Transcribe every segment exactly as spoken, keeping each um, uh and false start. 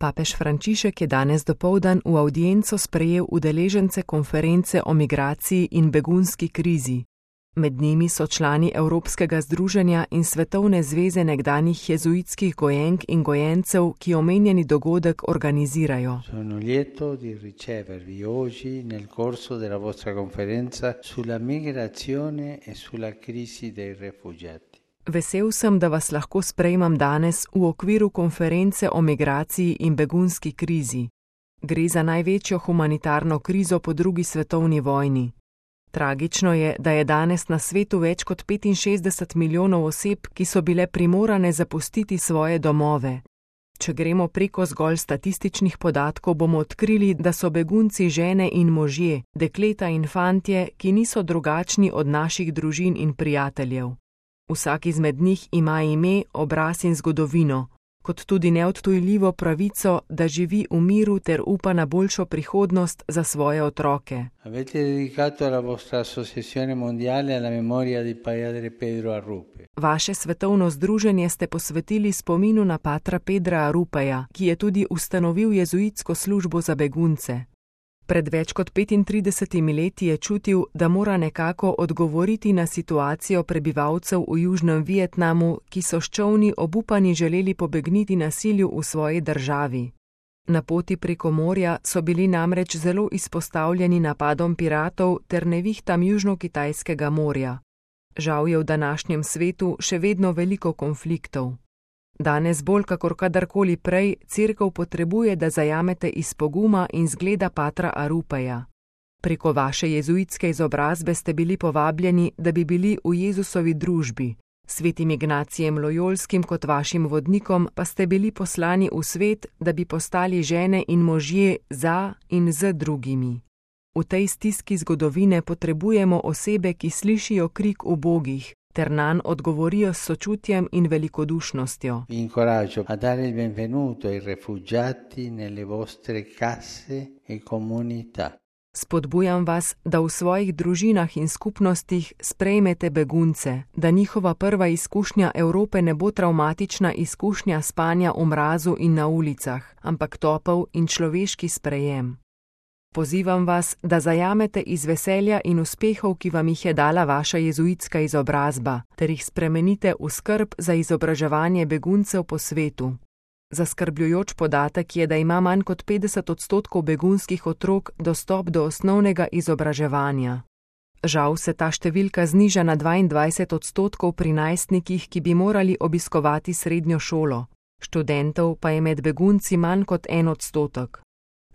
Papež Frančišek je danes dopoldan v avdienco sprejel udeležence konference o migraciji in begunski krizi. Med njimi so člani Evropskega združenja in Svetovne zveze nekdanjih jezuitskih gojenk in gojencev, ki omenjeni dogodek organizirajo. Sono lieto di ricevervi oggi nel corso della vostra conferenza sulla migrazione e sulla crisi dei rifugiati. Vesel sem, da vas lahko sprejmem danes v okviru konference o migraciji in begunski krizi. Gre za največjo humanitarno krizo po drugi svetovni vojni. Tragično je, da je danes na svetu več kot petinšestdeset milijonov oseb, ki so bile primorane zapustiti svoje domove. Če gremo preko zgolj statističnih podatkov, bomo odkrili, da so begunci žene in možje, dekleta in fantje, ki niso drugačni od naših družin in prijateljev. Vsak izmed njih ima ime, obraz in zgodovino, kot tudi neodtujljivo pravico, da živi v miru ter upa na boljšo prihodnost za svoje otroke. Avete dedicato la vostra associazione mondiale alla memoria di Padre Pedro Arrupe. Vaše svetovno združenje ste posvetili spominu na patra Pedra Arupeja, ki je tudi ustanovil jezuitsko službo za begunce. Pred več kot petintridesetimi leti je čutil, da mora nekako odgovoriti na situacijo prebivalcev v Južnem Vietnamu, ki so s čolni obupani želeli pobegniti nasilju v svoji državi. Na poti preko morja so bili namreč zelo izpostavljeni napadom piratov ter nevihtam Južno-Kitajskega morja. Žal je v današnjem svetu še vedno veliko konfliktov. Danes bolj kakor kadarkoli prej Cerkev potrebuje, da zajamete iz poguma in zgleda patra Arupeja. Preko vaše jezuitske izobrazbe ste bili povabljeni, da bi bili v Jezusovi družbi. Svetim Ignacijem Lojolskim kot vašim vodnikom pa ste bili poslani v svet, da bi postali žene in možje za in z drugimi. V tej stiski zgodovine potrebujemo osebe, ki slišijo krik ubogih, ter nanj odgovorijo s sočutjem in velikodušnostjo. Vi incoraggio a dare il benvenuto ai rifugiati nelle vostre case e comunità. Spodbujam vas, da v svojih družinah in skupnostih sprejmete begunce, da njihova prva izkušnja Evrope ne bo travmatična izkušnja spanja v mrazu in na ulicah, ampak topel in človeški sprejem. Pozivam vas, da zajamete iz veselja in uspehov, ki vam jih je dala vaša jezuitska izobrazba, ter jih spremenite v skrb za izobraževanje beguncev po svetu. Zaskrbljujoč podatek je, da ima manj kot petdeset odstotkov begunskih otrok dostop do osnovnega izobraževanja. Žal se ta številka zniža na dvaindvajset odstotkov pri najstnikih, ki bi morali obiskovati srednjo šolo. Študentov pa je med begunci manj kot en odstotek.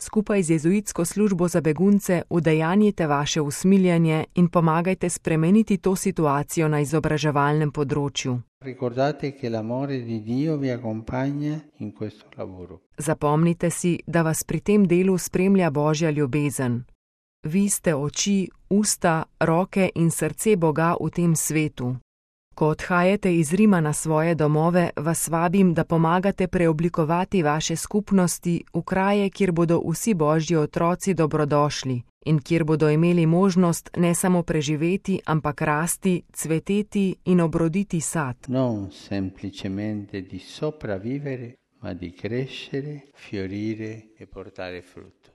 Skupaj z jezuitsko službo za begunce udejanjite vaše usmiljanje in pomagajte spremeniti to situacijo na izobraževalnem področju. Ricordate che l'amore di Dio vi accompagna in questo lavoro. Zapomnite si, da vas pri tem delu spremlja Božja ljubezen. Vi ste oči, usta, roke in srce Boga v tem svetu. Ko odhajate iz Rima na svoje domove, vas vabim, da pomagate preoblikovati vaše skupnosti v kraje, kjer bodo vsi Božji otroci dobrodošli in kjer bodo imeli možnost ne samo preživeti, ampak rasti, cveteti in obroditi sad. Non semplicemente di sopravvivere, ma di crescere, fiorire e portare frutto.